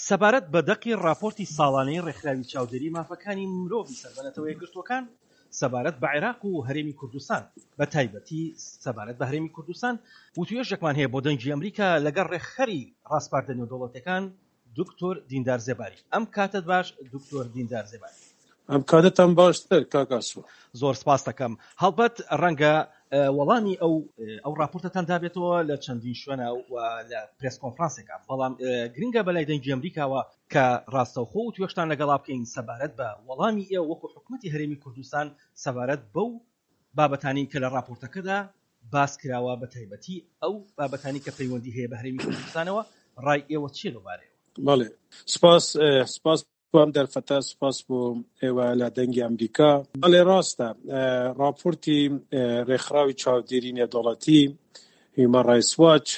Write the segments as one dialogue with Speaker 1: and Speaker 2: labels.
Speaker 1: سەبارەت بە دەقی ڕاپۆرتی ساڵانەی ڕێکخراوی چاودێری مافەکانی مرۆڤی سەر بە نەتەوە یەکگرتووەکان سەبارەت بە عێراق و هەرێمی کوردستان بە تایبەتی سەبارەت بە هەرێمی کوردستان وتوێژێکمان هەیە بۆ دەنگی ئەمریکا لەگەڵ ڕێکخەری ڕاسپاردە نێودەوڵەتیەکان دکتۆر دیندار زێباری. ئەم کاتەت باش دکتۆر دیندار زێباری.
Speaker 2: ئەم کاتەتان باشتر کاک ئاسۆ.
Speaker 1: زۆر سپاست دەکەم. هەڵبەت ڕەنگە وەڵامی ئەو ئەو ڕاپۆرتەتان دابێتەوە لە چەندین شوێنە و لە پرێس کۆنفرانسێکا، بەڵام گرنگە بەلای دەنگی ئەمریکاوە کە ڕاستەوخۆ وتوێژتان لەگەڵا بکەین سەبارەت بە وەڵامی ئێوە وەکو حکومەتی هەرێمی کوردستان سەبارەت بەو بابەتانەی کە لە ڕاپۆرتەکەدا باس کراوە بە تایبەتی ئەو بابەتانەی کە پەیوەندی هەیە بە هەرێمی کوردستانەوە ڕای ئێوە چییە لەو بارەیەوە؟
Speaker 2: بەڵێ سپاس سپاس بۆ ئەم دەرفەتە سپاس بۆ ئێوە لە دەنگی ئەمریکا. بەڵێ ڕاستە ڕاپۆرتی ڕێکخراوی چاودێری نێودەوڵەتی هیومەن ڕایتس واچ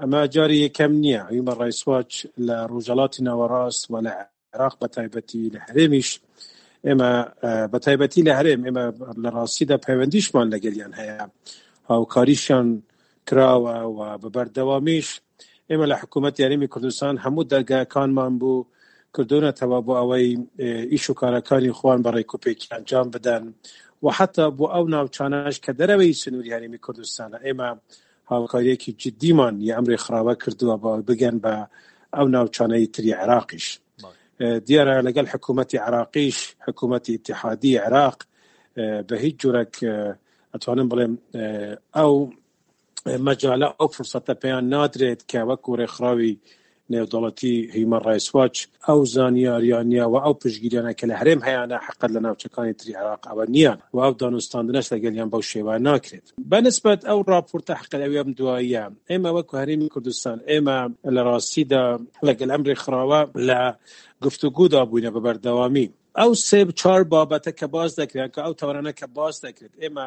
Speaker 2: ئەمە جاری یەکەم نییە هیومەن ڕایتس واچ لە ڕۆژهەڵاتی ناوەڕاست و لە عێراق بە تایبەتی لە هەرێمیش ئێمە بە تایبەتی لە هەرێم ئێمە لە ڕاستیدا پەیوەندیشمان لەگەلیان هەیە هاوکاریشیان کراوە و بە بەردەوامیش ئێمە لە حکوومەت یاریمی کوردستان هەموو دەرگاکانمان بوو کردوونەتەوە بۆ ئەوەی ئیش و کارەکانی خۆیان بە ڕێکوپێکی ئەنجام بدەن و حتا بۆ ئەو ناوچانەش کە دەرەوەی سنووری هەرێمی کوردستانە ئێمە هاوکاریەکی جدیمان ی ئەم رێکخراوە کردووە بۆ ئەوەی بگەن بە ئەو ناوچانەی تری عێراقیش. دیارە لەگەڵ حکوومەتی عێراقیش، حکوومەتی ئیتیحادی عێراق بە هیچ جۆرێک ئەتوانم بڵێم ئەو مەجالە ئەو فرسەتە پێیان نادرێت کە وەکو رێکخراوی نێودەوڵەتی هیومەن ڕایتس واچ ئەو زانیاریانە و ئەو پشتگیریانە کە لە هەرێم هەیانە حەقەت لە ناوچەکانی تری عێراق ئەوە نییە و ئەو دانوستاندنەش لەگەلیان بەو شێوە ناکرێت. بە نسبەت ئەو ڕاپۆرتە حەقەت ئەوی ئەم دواییە ئێمە وەکو هەرێمی کوردستان ئێمە لە ڕاستیدا لەگەل ئەم رێکخراوە لە گفتوگودا بووینە بە بەردەوامی. ئەو سێ چار بابەتە کە باس دەکرێن کە ئەو تەوەرانە کە باس دەکرێت ئێمە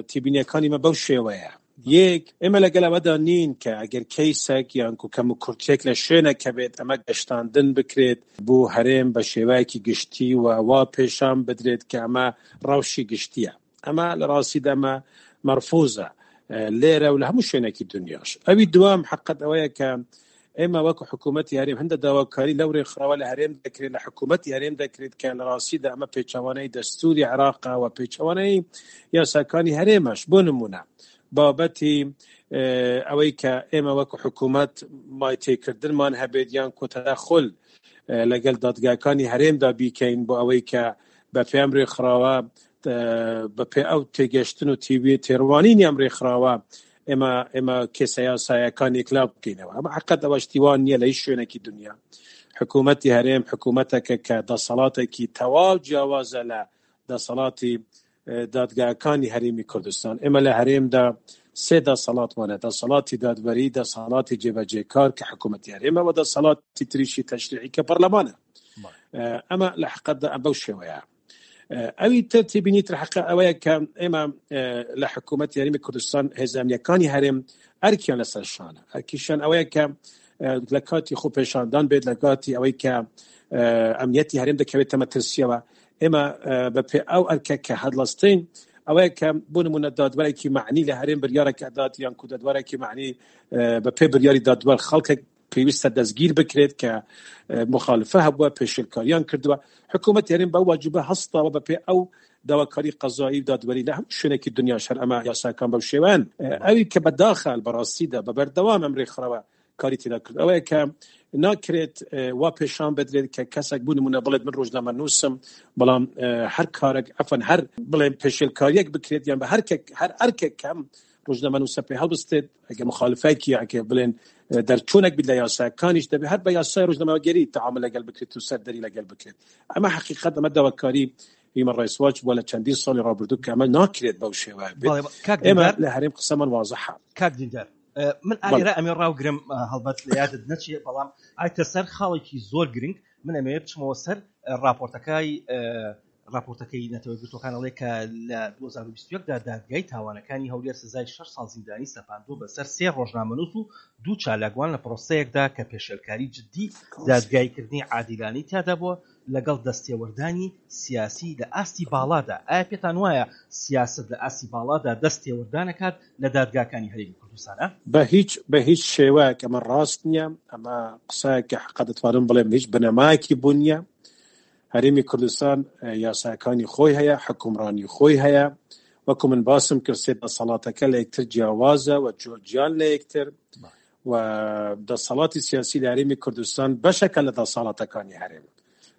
Speaker 2: تێبینیەکانی مە بەو شێوەیە یەک ئێمە لەگەل ئەوەدا نین کە ئەگەر کەیسێک یان کو کەم و کورتێک لە شوێنێک هەبێت ئەمە گەشتاندن بکرێت بۆ هەرێم بە شێوەیەکی گشتی و وا پێشان بدرێت کە ئەمە ڕەوشی گشتیە ئەمە لە ڕاستیدا ئەمە مەرفوزە لێرە و لە هەموو شوێنێکی دنیاش ئەوی دوام حقت ئەوەیە کە ئێمە وەکو حکوومەتی هەرێم هەندە داواکاری لەو رێکخراوە لە هەرێم دەکرێت لە حکوومەتی هەرێم دەکرێت کە لە ڕاستیدا ئەمە پێچەوانەی دەستوری عێراقە و پێچەوانەی یاساکانی هەرێمەش بۆ نمونە بابەتی ئەوەی کە ئێمە وەکو حکوومەت مایتێکردنمان هەبێت یان کۆتەداخل لەگەڵ دادگاکانی هەرێمدا بیکەین بۆ ئەوەی کە بە پێم رێکخراوە بە پێ ئەو تێگەشتن و تیوی تێڕوانینی ئەم رێکخراوە ئێمە ئێمە کێسە یاسایەکان یەکلا بکەینەوە ئەمە حقت ئەوە شتیوان نییە لە هیچ شوێنێکی دنیا حکوومەتی هەرێم حکوومەتەکە کە دەسەڵاتێکی تەواو جیاوازە لە دەسەڵاتی دادگاکانی هەرێمی کوردستان ئێمە لە هەرێمدا سێ دەسەڵاتمانە دەسەڵاتی دادوەری دەسەڵاتی جێبەجێکار کە حکوومەتی هەرێمە و دەسەڵاتی تریشی تەشریعی کە پەرلەمانە ئەمە لە حقەتدا بەو شێوەیە ئەوی تر تێبینی تر حەقە ئەوەیە کە ئێمە لە حکوومەت یاریمی کوردستان هێزانیەکانی هەرێم ئەرکیان لەسەر شانە ئەرکیشان ئەوەیە کە لە کاتی خۆ پێشاندان بێت لە کاتی ئەوەی کە ئەمنیەتی هەرێم دەکەوێتە مەترسیەوە ئێمە بە پێ ئەو ئەرکە کە هەڵستین ئەوەیە کە بۆ نمونە دادوەرێکی معنی لە هەرێم بریارێک ئەدات یان کو دادوەرێکی معنی بە پێ بریاری دادوەر خەڵکێک پێویستە دەستگیر بکرێت کە مخالفە هەبووە پێشلکاریان کردووە حکوومەت هەرێم بەو واجبە هەستاوە بە پێ ئەو داواکاری قەزایی و دادوەری لە هەموو شوێنێکی دنیا شەر ئەمە یاساکان بەو شێوەن ئەوی کە بەداخە بەڕاستیدا بە بەردەوام ئەم ڕێکخراوە کاری تێدا کرد ئەوەیە کە ناکرێت وا پێشان بدرێت کە کەسێک بوو نمونە بڵێت من ڕۆژنامە نووسم بەڵام هەر کارێک ئەفەن هەر بڵێن پێشێلکاریەک بکرێت یان بە هەر هەر ئەرکێک کەم ڕۆژنامەنووسە پێ هەڵبستێت ئەگە مخالفێکی ئەگە بڵێن دەرچوونێک بیت لە یاساکانیش دەبێت هەر بە یاسای ڕۆژنامەگەری تعامل لەگەڵ بکرێت و سەردەری لەگەڵ بکرێت ئەمە حقیقت ئەمە داواکاری هیومن ڕایتس واچ بووە لە چەندین ساڵی ڕابردوو کە ئەمە ناکرێت بەو شێوە بێت ئێمە لە هەرێم قسەمان وازحە
Speaker 1: کاک دیندار من ئالێرە ئەمێ ڕاوگرم هەڵبەت لە یادت نەچێ بەڵام ئایتە سەر خاڵێکی زۆر گرنگ من ئەمەوێ بچمەوە سەر راپۆرتەکەی. ڕاپۆرتەکەی نەتەوە یەکگرتووەکان ئەڵێ کە لە 2021 دا دادگای تاوانەکانی هەولێر سزای 6 ساڵ زیندانی سەپاندووە بەسەر سێ ڕۆژنامەنووس و دوو چالاکوان لە پرۆسەیەکدا کە پێشێلکاری جدی دادگاییکردنی عادیلانەی تیادا بووە لەگەڵ دەستێوەردانی سیاسی لە ئاستی باڵادا. ئایا پێتان وایە سیاسەت لە ئاستی باڵادا دەست تێوەردان ئەکات لە دادگاکانی هەرێمی کوردستانا؟
Speaker 2: بە هیچ بە هیچ شێوەیەک ئەمە ڕاست نییە، ئەمە قسەیەکە حەقە دەتوانم بڵێم هیچ بنەمایەکی بۆ نییە. هەرێمی کوردستان یاساکانی خۆی هەیە، حوکمڕانی خۆی هەیە، وەکو من باسم کرد سێ دەسەڵاتەکە لە یەکتر جیاوازە و جیان لە یەکتر و دەسەڵاتی سیاسی لە هەرێمی کوردستان بەشەکە لە دەسەڵاتەکانی هەرێم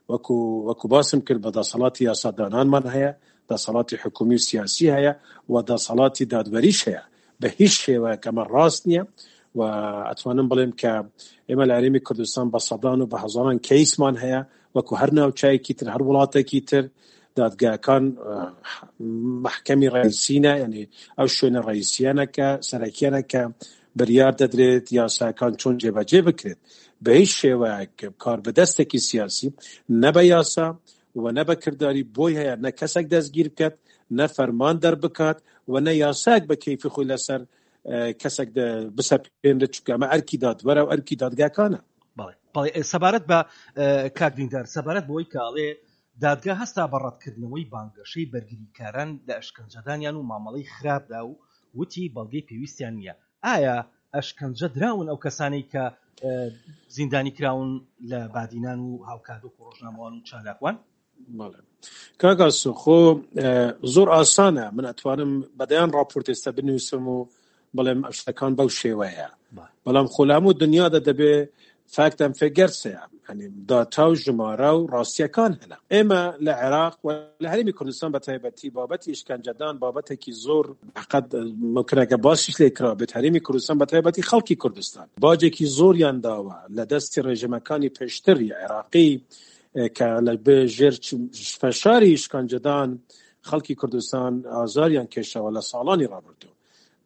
Speaker 2: وەکو وەکو باسم کرد بە دەسەڵاتی یاسادانانمان هەیە دەسەڵاتی حکومی و سیاسی هەیە و دەسەڵاتی دادوەریش هەیە بە هیچ شێوەیەک ئەمە ڕاست نییە و ئەتوانم بڵێم کە ئێمە لە هەرێمی کوردستان بە سەدان و بە هەزاران کەیسمان هەیە وەکو هەر ناوچایەکی تر هەر وڵاتێکی تر دادگاکان محکەمی ڕئیسینە یعنی ئەو شوێنە ڕئیسیانە کە سەرەکیانە کە بریار دەدرێت یاساکان چۆن جێبەجێ بکرێت بە هیچ شێوەیەک کار بەدەستێکی سیاسی نە بە یاسا و نە بە کرداری بۆی هەیە نە کەسێک دەستگیر بکات نە فەرمان دەربکات و نە یاسایەک بە کەیفی خۆی لەسەر کەسێک بسەپێنرێت چونکە ئەمە ئەرکی دادوەرە و ئەرکی دادگاکانە.
Speaker 1: بەڵێ بەڵێ سەبارەت بە کاک دیندار سەبارەت بەوەی کە ئەڵێ دادگا هەستا بە ڕەتکردنەوەی بانگەشەی بەرگریکاران لە ئەشکەنجەدانیان و مامەڵەی خراپدا و وتی بەڵگەی پێویستیان نییە ئایا ئەشکەنجە دراون ئەو کەسانەی کە زیندانی کراون لە بادینان و هاوکات وەکو ڕۆژنامەوان و چالاکوان؟
Speaker 2: بەڵێ کاک ئاسۆ خۆ زۆر ئاسانە من ئەتوانم بەدەیان ڕاپۆرت ئێستا بنووسم و بڵێم ئەم شتەکان بەو شێوەیە بەڵام خۆ لە هەموو دنیادا دەبێ فاکت ئەم فێگەرس هەیە یعنی داتا و ژمارە و ڕاستیەکان هەنە ئێمە لە عێراق و لە هەرێمی کوردستان بە تایبەتی بابەتی ئشکەنجەدان بابەتێکی زۆر حقت ممکنەکە باسیش لێ کرا بێت هەرێمی کوردستان بە تایبەتی خەڵکی کوردستان باجێکی زۆریان داوە لە دەستی ڕێژیمەکانی پێشتری عێراقی کە لە ژێر فشاری ئشکەنجەدان خەڵکی کوردستان ئازاریان کێشاوە لە ساڵانی ڕابردوو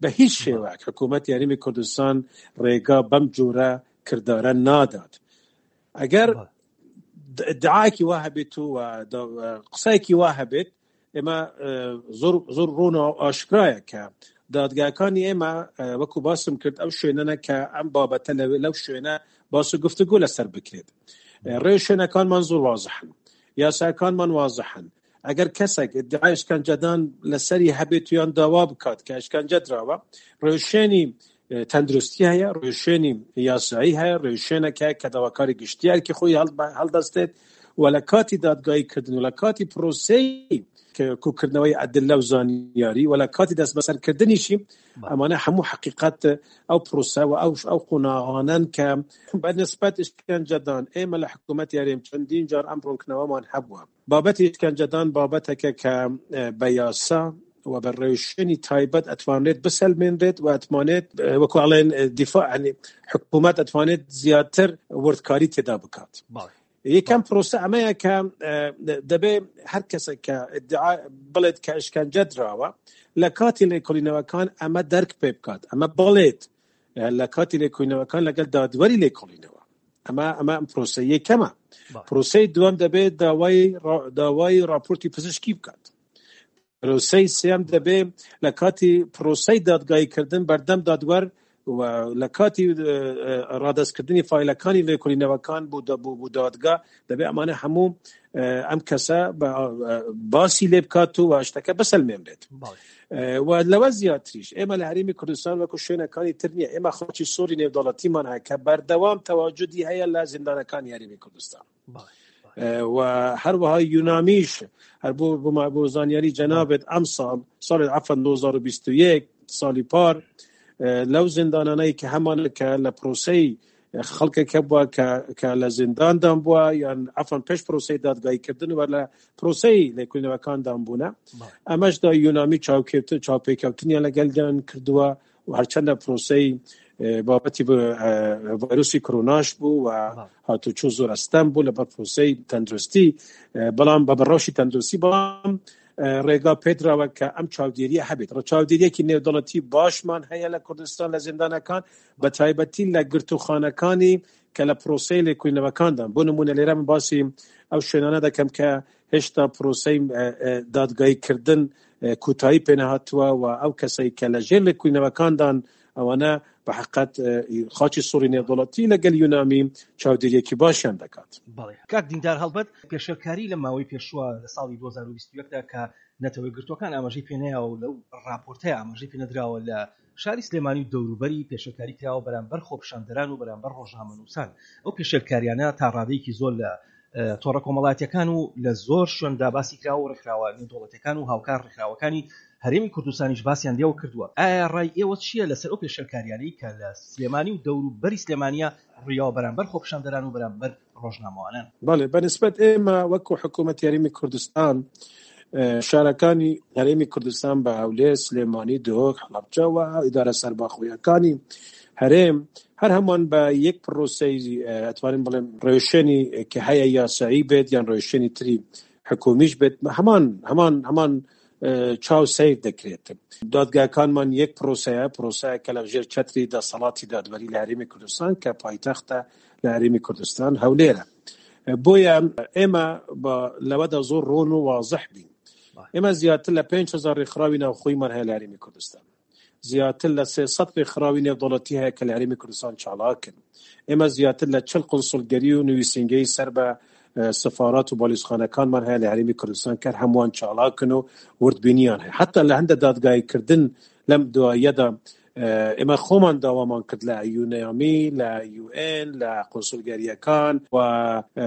Speaker 2: بە هیچ شێوەیەک حکوومەتی هەرێمی کوردستان ڕێگا بەم جۆرە کردارە نادات ئەگەر دعاکی وا هەبێت و قسایکی وا هەبێت ئێمە زۆر زۆر ڕوون و ئاشکرایە کە دادگاکانی ئێمە وەکو باسم کرد ئەو شوێنەنە کە ئەم بابەتە لەوێ لەو شوێنە باس و گفتوگۆ لەسەر بکرێت ڕێ شوێنەکانمان زۆر وازحن یاساکانمان وازحن ئەگەر کەسێک ئیدعای ئەشکەنجەدان لەسەری هەبێت یان داوا بکات کە ئەشکەنجە دراوە، ڕێوشوێنی تەندروستی هەیە، ڕێوشوێنی یاسایی هەیە، ڕێوشوێنێک هەیە کە داواکاری گشتی ئەرکی خۆی هەڵدەستێت و لە کاتی دادگایی کردن و لە کاتی پرۆسەی کۆکردنەوەی ئەدلە و زانیاری و لە کاتی دەستبەسەرکردنیشی ئەمانە هەموو حەقیقەت ئەو پرۆسە و ئەو ئەو قۆناغانەن کە بە نسبەت ئشکەنجەدان ئێمە لە حکوومەتی هەرێم چەندین جار ئەم ڕوونکردنەوەمان هەبووە. بابەتی ئشکەنجەدان بابەتێکە کە بە یاسا و بە ڕێوشوێنی تایبەت ئەتوانرێت بسەلمێنرێت و ئەتمانێت وەکو ئەڵێن دیفاع ینی حکوومەت ئەتوانێت زیاتر وردکاری تێدا بکات. یەکەم پرۆسە ئەمەیە کە دەبێ هەر کەسێک کە ئیدعا بڵێت کە ئەشکەنجە دراوە لە کاتی لێکۆڵینەوەکان ئەمە دەرک پێ بکات ئەمە بڵێت لە کاتی لێکۆڵینەوەکان لەگەڵ دادوەری لێکۆڵینەوە ئەمە ئەمە ئەم پرۆسە یەکەمە پرۆسەی دووەم دەبێت داوای داوای راپۆرتی پزیشکی بکات پرۆسەی سێم دەبێ لە کاتی پرۆسەی دادگاییکردن بەردەم دادوەر و لە کاتی ڕادەستکردنی فایلەکانی لێکۆڵینەوەکان بۆ دەبوو بۆ دادگا دەبێ ئەمانە هەموو ئەم کەسە باسی لێ بکات و شتەکە بسەلمێنرێت و لەوە زیاتریش ئێمە لە هەرێمی کوردستان وەکو شوێنەکانی تر نییە ئێمە خۆچی سووری نێودەوڵەتیمان هەیە کە بەردەوام تەواجدی هەیە لە زیندانەکانی هەرێمی کوردستان و هەروەها یونامیش هەر بۆ بۆ زانیاری جەنابێت ئەم ساڵ ساڵی عفن 2021 ساڵی پار لەو زیندانانەی کە هەمانە کە لە پرۆسەی خەڵکێک هەبووە کە کە لە زینداندان بووە یان عفن پێش پرۆسەی دادگاییکردن و لە پرۆسەی لێکۆڵینەوەکاندان بوونە ئەمەشدا یونامی چاوکێتن چاوپێکەوتنیان لەگەڵیان کردووە و هەرچەندە پرۆسەی بابەتی ڤایرۆسی کرۆناش بوو و هاتوچۆ زۆر ئەستەم بوو لەبەر پرۆسەی تەندروستی بەڵام بە بەڕەوشی تەندروستی بەڵام ڕێگا پێدراوە کە ئەم چاودێریە هەبێت ڕچاودێریەکی نێودەوڵەتی باشمان هەیە لە کوردستان لە زیندانەکان بە تایبەتی لە گرتوخانەکانی کە لە پرۆسەی لێکۆڵینەوەکاندان. بۆ نموونە لێرە من باسی ئەو شوێنانە دەکەم کە هێشتا پرۆسەی دادگایی کردن کوتایی پێنەهاتووە و ئەو کەسەی کە لە ژێر لێکۆڵینەوەکاندان ئەوانە بە حقت خاچی سوڕی نێودەوڵەتی لەگەل یونامی چاودێریەکی باشیان دەکات.
Speaker 1: بەڵێ کاک دیندار هەڵبەت پێشێلکاری لە ماوەی پێشووە لە ساڵی 2021 دا کە نەتەوە یەکگرتووەکان ئاماژەی پێنەیاوە و لەو ڕاپۆرتەیا ئاماژەی پێنەدراوە لە شاری سلێمانی و دەوروبەری پێشێلکاری کراوە بەرامبەر خۆپیشاندەران و بەرامبەر ڕۆژنامەنووسان ئەو پێشێلکاریانە تا ڕادەیەکی زۆر لە تۆڕە کۆمەڵاتیەکان و لە زۆر شوێندا باسی کراوە و ڕێکخراوە نێودەوڵەتیەکان و هاوکار ڕێکخراوەکانی هەرێمی کوردستانیش باسیان لێوە کردووە ئایا ڕای ئێوە چییە لەسەر ئەو پێشێلکاریانەی کە لە سلێمانی و دەوروبەری سلێمانیە ڕوویاوە بەرامبەر خۆپیشاندەران و بەرامبەر ڕۆژنامەوانان؟
Speaker 2: بەڵێ بەنسبەت ئێمە وەکو حکوومەتی هەرێمی کوردستان شارەکانی هەرێمی کوردستان بە هەولێر، سلێمانی، دهۆک، هەڵەبجە و ئیدارە سەربەخۆیەکانی هەرێم هەر هەمووان بە یەک پرۆسەی ئەتوانین بڵێم ڕێوشوێنی کە هەیە یاسایی بێت یان ڕێوشوێنی تری حکومیش بێت هەمان هەمان هەمان چاو سەیر دەکرێت. دادگاکانمان یەک پرۆسەیە، پرۆسەیە کە لە ژێر چەتری دەسەڵاتی دادوەری لە هەرێمی کوردستان کە پایتەختە لە هەرێمی کوردستان هەولێرە. بۆیە ئێمە بە لەوەدا زۆر ڕۆن و وازح بین. ئێمە زیاتر لە 5000 ڕێکخراوی ناوخۆیمان هەیە لە هەرێمی کوردستان. زیاتر لە 300 ڕێکخراوی نێودەوڵەتی هەیە کە لە هەرێمی کوردستان چالاکن. ئێمە زیاتر لە 40 قونسوڵگەری و نووسینگەی سەر بە سفارات و بالیزخانەکانمان هەیە لە هەرێمی کوردستان کە هەمووان چالاکن و وردبینیان هەیە. حتا لە هەندە دادگاییکردن لەم دواییەدا ئێمە خۆمان داوامان کرد لە یونامی، لە یو ئێن، لە قونسولگەرییەکان و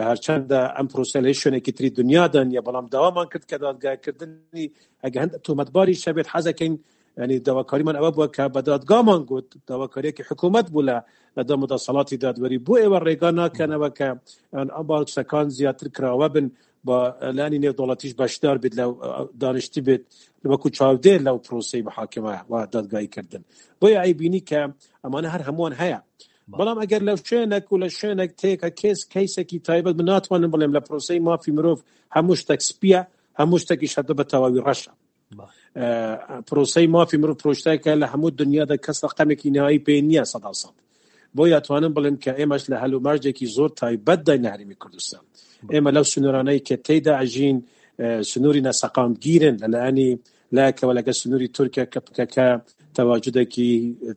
Speaker 2: هەرچەندە ئەم پرۆسە لە هیچ شوێنێکی تری دنیادا نییە، بەڵام داوامان کرد کە دادگایکردنی ئەگە هەندە تۆمەتباریش هەبێت حەزەکەین ینی داواکاریمان ئەوە بووە کە بە دادگامان گوت داواکاریەکی حکوومەت بوو لە لە دەم و دەسەڵاتی دادوەری بۆ ئێوە ڕێگا ناکەنەوە کە ئەم باسەکان زیاتر کراوە بن با لانی نێودەوڵەتیش بەشدار بێت لە دانیشتی بێت وەکو چاودێر لەو پرۆسەی محاکمە و دادگایی کردن بۆیە ئەیبینی کە ئەمانە هەر هەمووان هەیە بەڵام ئەگەر لە شوێنێک و لە شوێنێک تێکە کێس کەیسێکی تایبەت من ناتوانم بڵێم لە پرۆسەی مافی مرۆڤ هەموو شتێک سپیە هەموو شتێکیش هەردە بە تەواوی ڕەشە پرۆسەی مافی مرۆڤ پرۆشتێکە لە هەموو دنیادا کەس ڕقەمێکی نهایی پێ نییە سەدا سەد بۆیە ئەتوانم بڵێم کە ئێمەش لە هەلومەرجێکی زۆر تایبەتداین لە هەرێمی کوردستان ئێمە لەو سنوورانەی کە تێیدا ئەژین سنووری ناسەقامگیرن لەلایەنی لایەکەوە لەگەڵ سنووری تورکیا کە پکەکە تەواجودێکی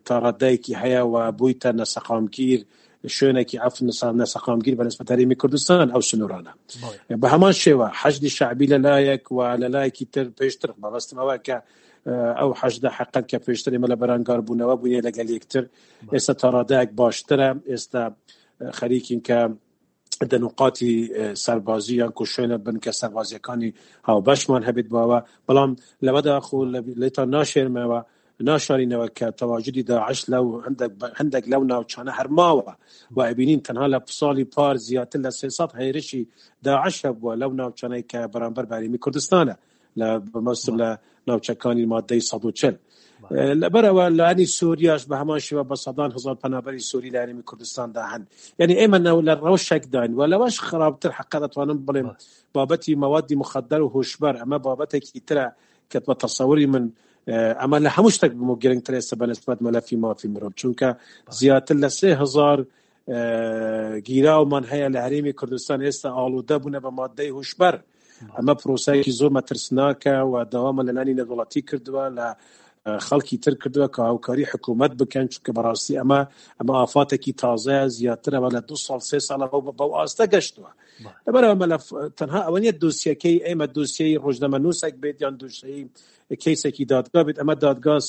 Speaker 2: تاڕادەیەکی هەیە و بوویتە ناسەقامگیر شوێنێکی ئەف ناسەقامگیر بە نسبەت هەرێمی کوردستان ئەو سنوورانە بە هەمان شێوە حەشدی شەعبی لە لایەک و لە لایەکی تر پێشتر مەبەستم ئەوە کە ئەو حەشدە حەقەت کە پێشتر ئێمە لە بەرانگار بوونەوە بووینە لەگەل یەکتر ئێستا تاڕادایەک باشترە ئێستا خەریکین کە دەنوقاتی سەربازی یان کو شوێنە بنکە سەربازیەکانی هاوبەشمان هەبێت باوە بەڵام لەوەدا خۆ لێتان ناشێرمەوە ناشارینەوە کە تەواجدی داعش لەو هەندێک لەو ناوچانە هەرماوە و ئەبینین تەنها لە ساڵی پار زیاتر لە 300 هێرشی داعش هەبووە لەو ناوچانەی کە بەرامبەر بەرێمی کوردستانە لە بەمەستم لە ناوچەکانی مادەی 140 لەبەرەوە لانی سووریاش بە هەمان شێوە بە سەدان هزار پەنابەری سووری لە هەرێمی کوردستاندا هەن یعنی ئێمە ناو لە ڕەوشێکداین و لەوەش خراپتر حەقە دەتوانم بڵێم بابەتی مەوادی مخدر و هۆشبەر ئەمە بابەتێکی ترە کە بە تەسەوری من ئەمە لە هەموو شتێک بمو گرنگتر ئێستا بەنسبەت مەلەفی مافی مرۆڤ چونکە زیاتر لە 3000 گیراومان هەیە لە هەرێمی کوردستان ئێستا ئاڵوودە بوونە بە مادەی هوشبەر ئەمە پرۆسایەکی زۆر مەترسناکە و داوامان لە لانی نێودەوڵەتی کردووە لە خەڵکی تر کردووە کە هاوکاری حکوومەت بکەن چونکە بەڕاستی ئەمە ئەمە ئافاتێکی تازەیە زیاترەوە لە دو ساڵ سێ ساڵە بەو ئاستە گەشتووە لەبەرەوە مەلەف تەنها ئەوە نیە دۆسیەکەی ئێمە دۆسیەی ڕۆژنامەنووسێک بێت یان دۆسیەی کەیسێکی دادگا بێت ئەمە دادگاس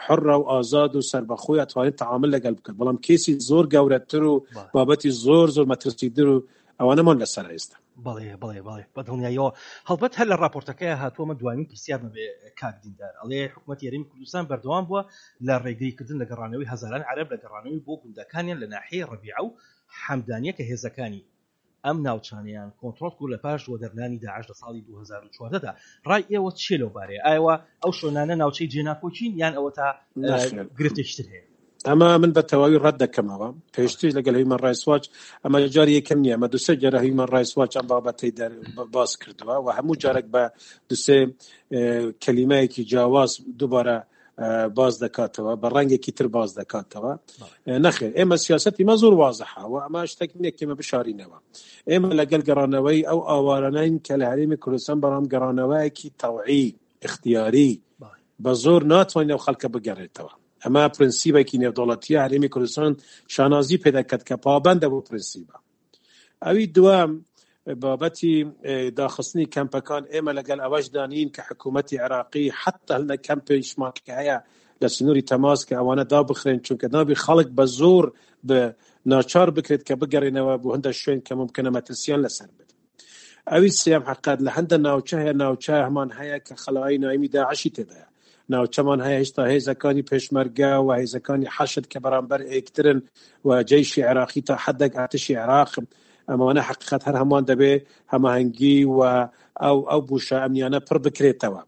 Speaker 2: حڕە و ئازاد و سەربەخۆی ئەتوانێت تعامل لەگەڵ بکات بەڵام کەیسی زۆر گەورەتر و بابەتی زۆر زۆر مەترسیدر و ئەوانەمان لەسەر ئێستا.
Speaker 1: بەڵێ بەڵێ بەڵێ بە دڵنیاییەوە هەڵبەت هەر لە ڕاپۆرتەکەی هاتووە من دوایین پرسیارمە بێ کاک دیندار ئەڵێ حکوومەتی هەرێمی کوردستان بەردەوام بووە لە ڕێگریکردن لە گەڕانەوەی هەزاران عەرەب لە گەڕانەوەی بۆ گوندەکانیان لە ناحیەی ڕەبیعە و حەمدانیە کە هێزەکانی ئەم ناوچانەیان کۆنترۆڵ کرد لە پاش وەدەرنانی داعش لە ساڵی 2014 دا ڕای ئێوە چیە لەو بارەیە ئایەوە ئەو شوێنانە ناوچەی جێناکۆکین یان ئەوەتا
Speaker 2: نەخێر
Speaker 1: گرفتێکی تر هەیە؟
Speaker 2: ئەمە من بە تەواوی ڕەت دەکەمەوە پێشتریش لەگەل هیومەن ڕایتس واچ ئەمە جاری یەکەم نییە ئەمە دوسێ جارە هیومەن ڕایتس واچ ئەم بابەتەی دەر باس کردووە و هەموو جارێک بە دوسێ کەلیمەیەکی جیاواز دووبارە. باز دەکاتەوە بە ڕەنگێکی تر باز دەکاتەوە نەخێر ئێمە سیاستی مە زۆر وازحە و ئەمە شتێک نییە کێمە بشارینەوە ئێمە لەگەل گەڕانەوەی ئەو ئاوارانین کە لە هەرێمی کوردستان بەڵام گەڕانەوەیەکی تەوعی اختیاری بە زۆر ناتوانین ئەو خەڵکە بگەڕێتەوە ئەمە پرنسیبێکی نێودەوڵەتیە هەرێمی کوردستان شانازی پێدەکات کە پابەندە بۆ پرنسیبە ئەوی دووەم بابەتی داخستنی کەمپەکان ئێمە لەگەل ئەوەشدا نین کە حکوومەتی عێراقی حتا لە کەمپیشمان کە هەیە لە سنووری تەماس کە ئەوانە دابخرێن چونکە نابی خەڵک بە زۆر بە ناچار بکرێت کە بگەڕێنەوە بۆ هەندە شوێن کە ممکنە مەترسیان لەسەر بێت. ئەوی سێم حقیقەت لە هەندە ناوچە هەیە ناوچە هەمان هەیە کە خەلایی نایمی داعشی تێدایە ناوچەمان هەیە هێشتا هێزەکانی پێشمەرگە و هێزەکانی حەشد کە بەرامبەر ئێکترن و جەیشی عێراقی تا حدێک ئارتشی عێراق ئەمانە حقیقەت هەر هەمان دەبێ هەماهەنگی و ئەو ئەو بوشە ئەمنیانە پڕ بکرێتەوە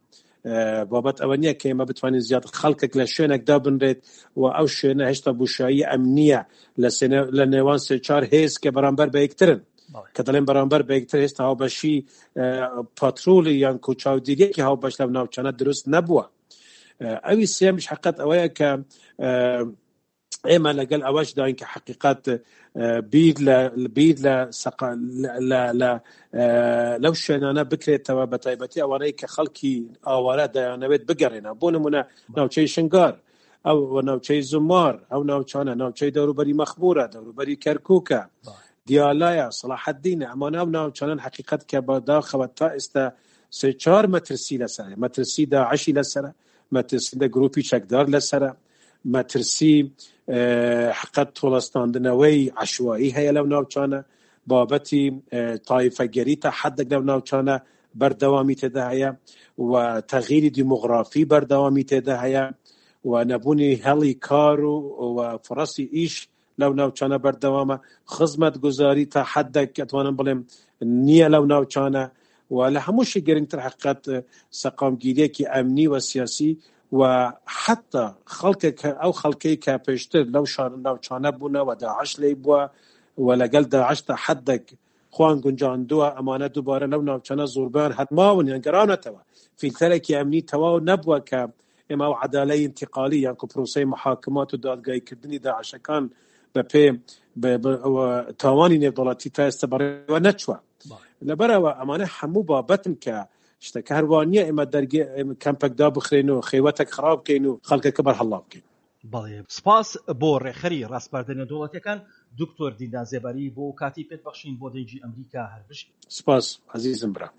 Speaker 2: بابەت ئەوە نییە کە ئێمە بتوانین زیاد خەڵکێک لە شوێنێک دابنرێت و ئەو شوێنە هێشتا بوشایی ئەمنیە لە نێوان سێ چار هێز کە بەرامبەر بە یەکترن کە دەڵێن بەرامبەر بە یەکتر هێستا هاوبەشی پاترۆلی یان کو چاودێریەکی هاوبەش لەو ناوچانە دروست نەبووە ئەوی سێمیش حقت ئەوەیە کە ئێمە لەگەل ئەوەش داین کە حقیقت بیر لە بیر لە لە لەو شوێنانە بکرێتەوە بە تایبەتی ئەوانەی کە خەڵکی ئاوارە دەیانەوێت بگەڕێنە بۆ نمونە ناوچەی شنگار ئەو ناوچەی زمار ئەو ناوچانە ناوچەی دەوروبەری مەخمورە دەوروبەری کەرکووکە دیالایە سەڵاحەدینە ئەمانە ئەو ناوچانەن حقیقت کە بەداخەوە تا ئێستا سێ چار مەترسی لەسەر مەترسی داعشی لەسەرە مەترسی لە گروپی چەکدار لەسەرە مەترسی حقەت تۆڵەستاندنەوەی عەشوایی هەیە لەو ناوچانە، بابەتی تایفەگەری تا حدێک لەو ناوچانە بەردەوامی تێدا هەیە و تەغیری دیمۆغرافی بەردەوامی تێدا هەیە و نەبوونی هەڵی کار و فڕەسی ئیش لەو ناوچانە بەردەوامە، خزمەتگوزاری تا حدێک ئەتوانم بڵێم نییە لەو ناوچانە و لە هەمووشی گرنگتر حقیقەت سەقامگیریەکی ئەمنی و سیاسی و حتا خەڵکێک ئەو خەڵکەی کە پێشتر لەو شار ناوچانە بوونە و داعش لێی بووە و لەگەڵ داعش تا حدێک خۆیان گونجاندووە ئەمانە دووبارە لەو ناوچانە زۆربەیان هەر ماون یان گەڕاونەتەوە فیلتەرێکی ئەمنی تەواو نەبووە کە ئێمە ئەو عەدالەی ئینتیقالی یان کو پرۆسەی محاکمات و دادگاییکردنی داعشەکان بە پێ تاوانی نێودەوڵەتی تا ئێستا بەڕێوە نەچووە لەبەرەوە ئەمانە هەموو بابەتن کە شتەکە هەروە نییە ئێمە دەرگێ کەمپێک دابخرێن و خێوەتێک خراپ بکەین و خەڵکەکە بەرهەڵا بکەین.
Speaker 1: بەڵێ سپاس بۆ ڕێکخەری ڕاسپاردە نێودەوڵەتیەکان دکتۆر دیندار زێباری بۆ کاتی پێت بەخشین بۆ دەنگی ئەمریکا هەر بژی.
Speaker 2: سپاس ئەزیزم برا.